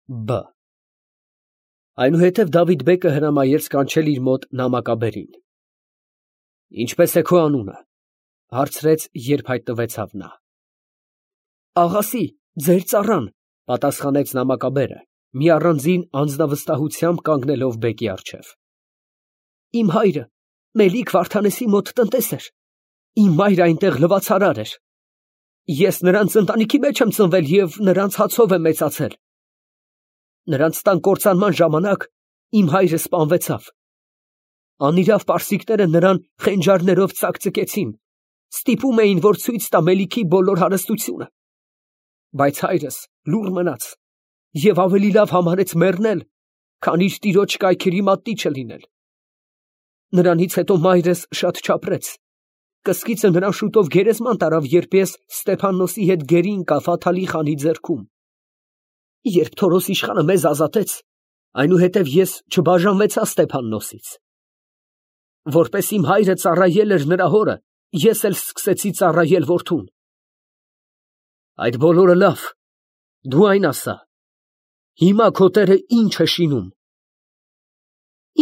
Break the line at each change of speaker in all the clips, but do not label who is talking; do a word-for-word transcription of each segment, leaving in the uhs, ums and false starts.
Բ Այնուհետև Դավիթ֊բեկը հրամայեց կանչել իր մոտ նամակաբերին։ Ինչպե՞ս է քո անունը, ֊ հարցրեց, երբ հայտնվեցավ նա։ Աղասի, ձեր ծառան, ֊ պատասխանեց նամակաբերը, մի առանձին անձնավստահությամբ կանգնելով բեկի առջև։ Իմ հայրը Մելիք Վարդանեսի մոտ տնտես էր, իմ մայրը այնտեղ լվացարար էր։ Ես նրանց ընտանիքի մեջ եմ ծնվել և նրանց հացով եմ մեծացել։ Նրանց տան կործանման ժամանակ իմ հայրը սպանվեցավ։ Անիրավ պարսիկները նրան խենջարներով ծակծկեցին, ստիպում էին, որ ցույց տա Մելիքի բոլոր հարստությունը։ Բայց հայրս լուռ մնաց և ավելի լավ համարեց մեռնել, քան իր տիրոջ կայքերի մատնիչը լինել։ Նրանից հետո մայրս շատ չապրեց։ Կսկիցը նրան շուտով գերեզման տարավ, երբ ես Ստեփաննոսի հետ գերի ընկա Ֆաթալի խանի ձեռքում։ Երբ Թորոս իշխանը մեզ ազատեց, այնուհետև ես չբաժանվեցա Ստեփաննոսից։ Որպես իմ հայրը ծառայել էր նրա հորը, ես էլ սկսեցի ծառայել որդուն։ Այդ բոլորը լավ, դու այն ասա, հիմա քո տերը ի՞նչ է շինում։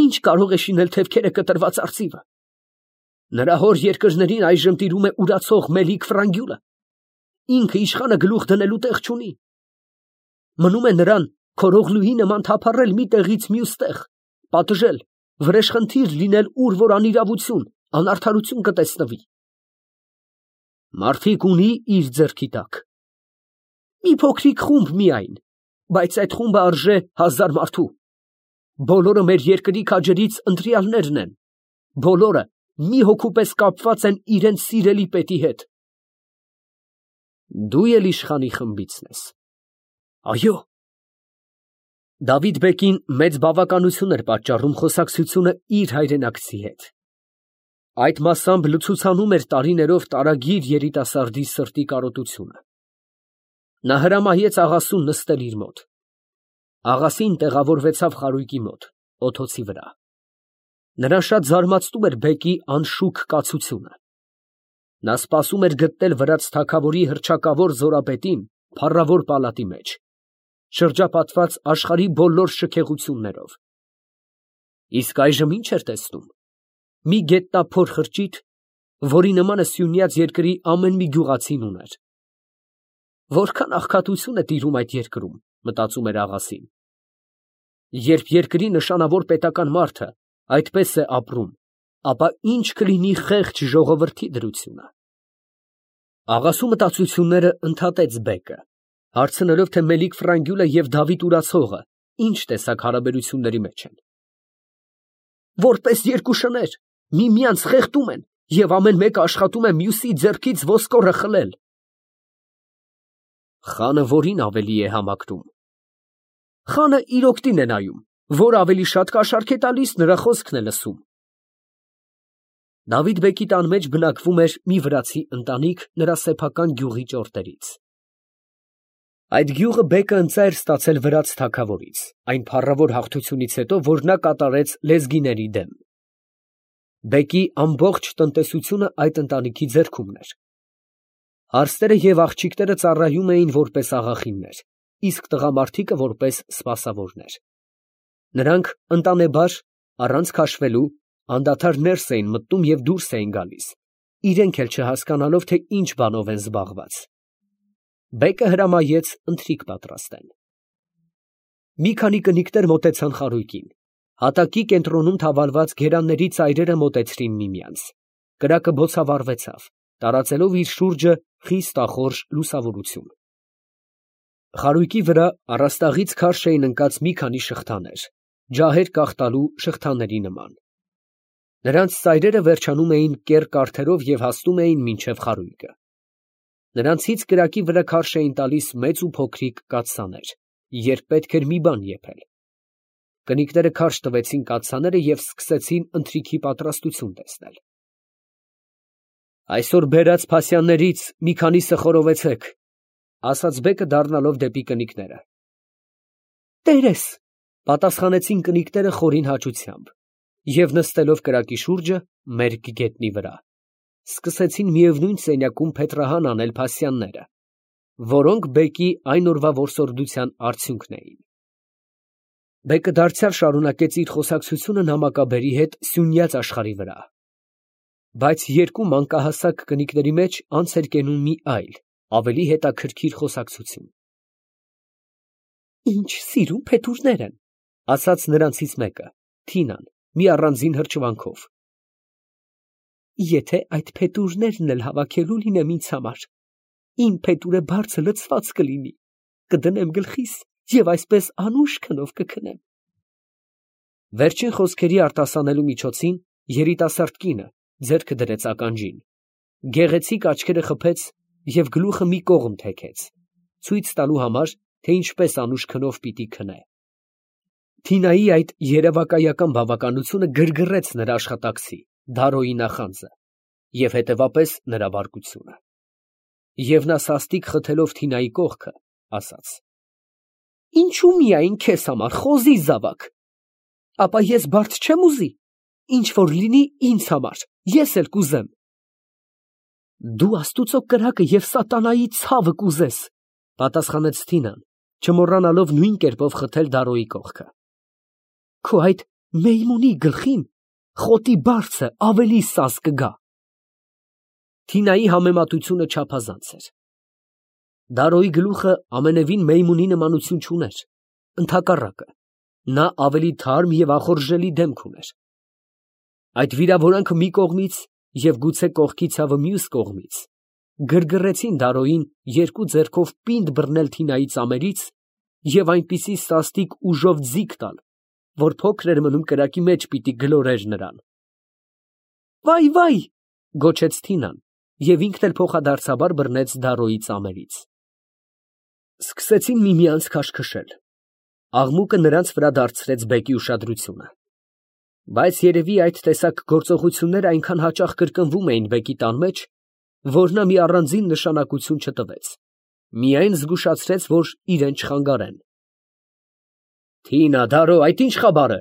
Ի՞նչ կարող է շինել թևքերը կտրված արծիվը։ Նրա հոր երկրներին այժմ տիրում է ուրացող Մելիք Ֆրանգյուլը։ Ինքը իշխանը գլուխ դնելու տեղ չունի։ Մնում է նրան քորողլուի նման թափառել մի տեղից մյուս տեղ, պատժել, վրեժխնդիր լինել ուր որ անիրավություն, անարդարություն կտեսնվի։ Մարդիկ ունի իր ձեռքի տակ։ Մի փոքրիկ խումբ միայն, բայց այդ խումբը արժե հազար մարդու։ Բոլորը մեր երկրի քաջերից ընտրյալներն են։ Բոլորը մի հոգու պես կապված են իրենց սիրելի պետի հետ։ Դու էլ իշխանի խմբիցն ես։ Այո։ Դավիթ֊բեկին մեծ բավականություն էր պատճառում խոսակցությունը իր հայրենակցի հետ։ Այդ մասամբ լցուցանում էր տարիներով տարագիր երիտասարդի սրտի կարոտությունը։ Նա հրամայեց աղասուն նստել իր մոտ։ Աղասին տեղավորվեցավ խարույկի մոտ, օդոցի վրա։ Նրան շատ զարմացնում էր բեկի անշուք կացությունը։ Նա սպասում էր գտնել վրաց թագավորի հռչակավոր զորապետին փառավոր պալատի մեջ, շրջապատված աշխարհի բոլոր շքեղություններով։ Իսկ այժմ ի՞նչ էր տեսնում։ Մի գետնափոր խրճիթ, որի նմանը Սյունյաց երկրի ամեն մի գյուղացին ուներ։ Որքան աղքատություն է տիրում այդ երկրում, մտածում էր աղասին։ Երբ երկրի նշանավոր պետական մարդը այդպես է ապրում, ապա ինչ կլինի խեղճ ժողովրդի դրությունը։ Աղասու մտածությունները ընդհատեց բեկը, հարցնելով, թե Մելիք Ֆրանգյուլը և Դավիթ Ուրացողը ինչ տեսակ հարաբերությունների մեջ են։ Որպես երկու շներ, միմյանց խեղդում են և ամեն մեկը աշխատում է մյուսի ձեռքից ոսկորը խլել։ Խանը որին ավելի է համակրում։ Խանը իր օգտին է նայում, որ ավելի շատ կաշառք է տալիս, նրա խոսքն է լսում։ Դավիթ֊բեկի տան մեջ բնակվում էր մի վրացի ընտանիք նրա սեփական գյուղի ճորտերից։ Այդ գյուղը բեկը ընծա էր ստացել վրաց թագավորից, այն փառավոր հաղթությունից հետո, որ նա կատարեց լեզգիների դեմ։ Բեկի ամբողջ տնտեսությունը այդ ընտանիքի ձեռքումն էր։ Հարստերը և աղջիկները ծառայում էին որպես աղախիններ, իսկ տղամարդիկը որպես սպասավորներ։ Նրանք ընտանեբար, առանց քաշվելու, անդադար ներս էին մտնում և դուրս էին գալիս, իրենք էլ չհասկանալով, թե ինչ բանով են զբաղված։ Բեկը հրամայեց ընթրիք պատրաստեն։ Մի քանի կնիկներ մոտեցան խարույկին։ Հատակի կենտրոնում թավալված գերանների ծայրերը մոտեցրին միմյանց։ Կրակը բոցավառվեցավ, տարածելով իր շուրջը խիստ ախորժ լուսավորություն։ Խարույկի վրա առաստաղից քարշ էին ընկած մի քանի շղթաներ, ջահեր կախտալու շղթաների նման։ Նրանց ծայրերը վերջանում էին կեռ կարթերով և հասնում էին մինչև խարույկը։ Նրանցից կրակի վրա քարշ էին տալիս մեծ ու փոքրիկ կաթսաներ, երբ պետք էր մի բան եփել։ Կնիկները քարշ տվեցին կաթսաները և սկսեցին ընթրիքի պատրաստություն տեսնել։ Այսօր բերած փասյաններից մի քանիսը խորովեցեք, ֊ ասաց բեկը դառնալով դեպի կնիկները։ Տերես, ֊ պատասխանեցին կնիկները խորին հաճությամբ և նստելով կրակի շուրջը, մերկ գետնի վրա, սկսեցին միևնույն սենյակում փետրահան անել փասյանները, որոնք բեկի այն օրվա որսորդության արդյունքն էին։ Բեկը դարձյալ շարունակեց իր խոսակցությունը նամակաբերի հետ սյունյաց աշխարհի վրա, բայց երկու մանկահասակ կնիկների մեջ անց էր կենում մի այլ, ավելի հետաքրքիր խոսակցություն։ Ինչ սիրուն փետուրներ են, ասաց նրանցից մեկը, Թինան, մի առանձին հրճվանքով։ Եթե այդ փետուրներն էլ հավաքելու լինեմ ինձ համար, իմ փետուրը բարձը լցված կլինի, կդնեմ գլխիս և այսպես անուշ քնով կքնեմ։ Վերջին խոսքերի արտասանելու միջոցին երիտասարդ կինը ձեռքը դրեց ականջին, գեղեցիկ աչքերը խփեց և գլուխը մի կողմ թեքեց, ցույց տալու համար, թե ինչպես անուշ քնով պիտի քնե։ Թինայի այդ երևակայական բավականությունը գրգռեց նրա աշխատակցի Դարոյի նախանձը և հետևապես նրա բարկությունը։ Եվ նա սաստիկ խթելով Թինայի կողքը, ասաց. Ինչու միայն քեզ համար, խոզի զավակ, ապա ես բարդ չեմ ուզի, ինչ որ լինի ինձ համար, ես էլ կուզեմ։ Դու աստուծո կրակը և սատանայի ցավը կուզես, պատասխանեց Թինան, չմոռանալով նույն կերպով խթել Դարոյի կողքը։ Քո այդ մեյմունի գլխին խոտի բարձը ավելի սազ կգա։ Թինայի համեմատությունը չափազանց էր։ Դարոյի գլուխը ամենևին մեյմունի նմանություն չուներ, ընդհակառակը, նա ավելի թարմ և ախորժելի դեմք ուներ։ Այդ վիրավորանքը մի կողմից և գուցե կողքի ցավը մյուս կողմից գրգռեցին Դարոյին երկու ձեռքով պինդ բռնել Թինայի ծամերից և այնպիսի սաստիկ ուժով ձիգ տալ, որ փոքր էր մնում կրակի մեջ պիտի գլորեր նրան։ Վայ, վայ, գոչեց Թինան և ինքն էլ փոխադարձաբար բռնեց Դարոյի ծամերից։ Սկսեցին միմյանց քաշքշել։ Աղմուկը նրանց վրա դարձրեց բեկի ուշադրությունը։ Բայց երևի այդ տեսակ գործողությունները այնքան հաճախ կրկնվում էին բեկի տան մեջ, որ նա մի առանձին նշանակություն չտվեց, միայն զգուշացրեց, որ իրեն չխանգարեն։ Թինա, Դարո, այդ ի՞նչ խաբար է։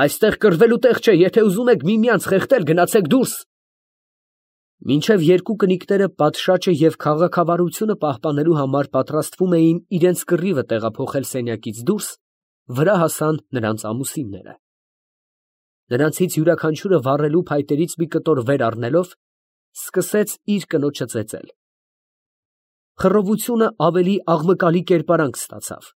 Այստեղ կռվելու տեղ չէ, եթե ուզում եք միմյանց խեղդել, գնացեք դուրս։ Մինչև երկու կնիկները պատշաճը և քաղաքավարությունը պահպանելու համար պատրաստվում էին իրենց կռիվը տեղափոխել սենյակից դուրս, վրա հասան նրանց ամուսինները։ Նրանցից յուրաքանչյուրը վառելու փայտերից մի կտոր վեր առնելով, սկսեց իր կնոջը ծեծել։ Խռովությունը ավելի աղմկալի կերպարանք ստացավ։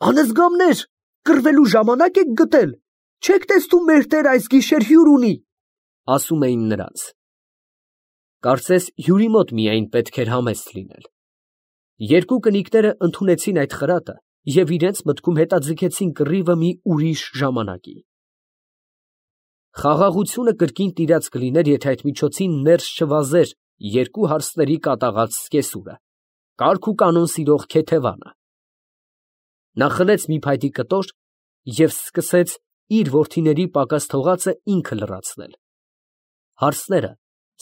Անզգամներ, կռվելու ժամանակ եք գտել, չեք տեսնում մեր տերը այս գիշեր հյուր ունի, ասում էին նրանց։ Կարծես հյուրի մոտ միայն պետք էր համեստ լինել։ Երկու կնիկները ընդունեցին այդ խրատը և իրենց մտքում հետաձգեցին կռիվը մի ուրիշ ժամանակի։ Խաղաղությունը կրկին տիրած կլիներ, եթե այդ միջոցին ներս չվազեր երկու հարսների կատաղած սկեսուրը, կարգ ու կանոն սիրող քեթևանը։ Նա խլեց մի փայտի կտոր և սկսեց իր որդիների պակաս թողածը ինքը լրացնել։ Հարսները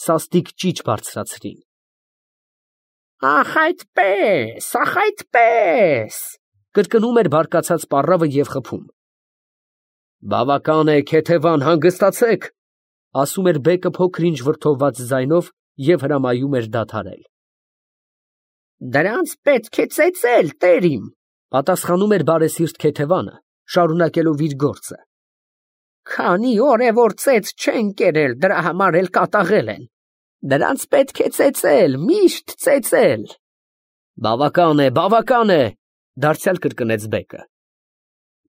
սաստիկ ճիչ բարձրացրին։ Ախ այդպես, ախ այդպես, կրկնում էր բարկացած պառավը և խփում։ Բավական է, քեթևան, հանգստացեք, ասում էր բեկը փոքր-ինչ վրդովված ձայնով և հրամայում էր դադարել։ Դրանց պետք է ծեծել, տերիմ, պատասխանում էր բարեսիրտ քեթևանը, շարունակելով իր գործը։ Քանի օր է, որ ծեծ չեն կերել, դրա համար էլ կատաղել են։ Դրանց պետք է ծեծել, միշտ ծեծել։ Բավական է, բավական է, դարձյալ կրկնեց բեկը։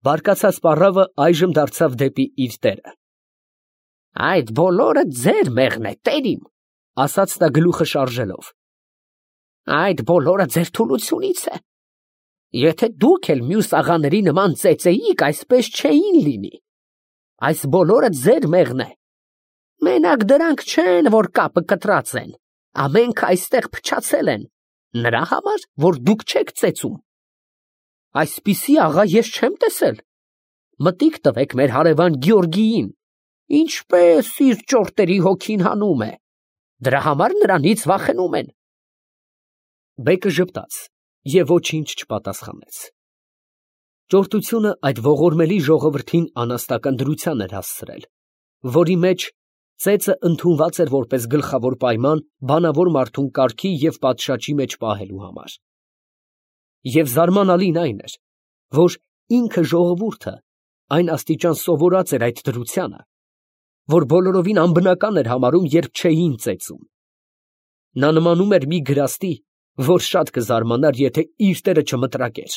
Բարկացած պառավը այժմ դարձավ դեպի իր տերը։ Այդ բոլորը ձեր մեղն է, տերիմ, ասաց նա գլուխը շարժելով։ Այդ բոլորը ձեր թուլությունից է։ Եթե դուք էլ մյուս աղաների նման ծեծեիք, այսպես չէին լինի։ Այս բոլորը ձեր մեղն է։ Մենակ դրանք չեն, որ կապը կտրած են, ամենքը այստեղ փչացել են, նրա համար, որ դուք չեք ծեծում։ Այսպիսի աղա ես չեմ տեսել։ Մտիկ տվեք մեր հարևան Գյորգիին, ինչպես իր ճորտերի հոգին հանում է, դրա համար նրանից վախենում են։ Բեկը ժպտաց և ոչինչ չպատասխանեց։ Ճորտությունը այդ ողորմելի ժողովրդին անաստական դրության էր հասցրել, որի մեջ ծեծը ընդունված էր որպես գլխավոր պայման բանավոր մարդուն կարգի և պատշաճի մեջ պահելու համար։ Եվ զարմանալին այն էր, որ ինքը ժողովուրդը այն աստիճան սովորած էր այդ դրությանը, որ բոլորովին անբնական էր համարում, երբ չէին ծեծում. նա նմանում էր մի գրաստի, որ շատ կզարմանար, եթե իր տերը չմտրակեր։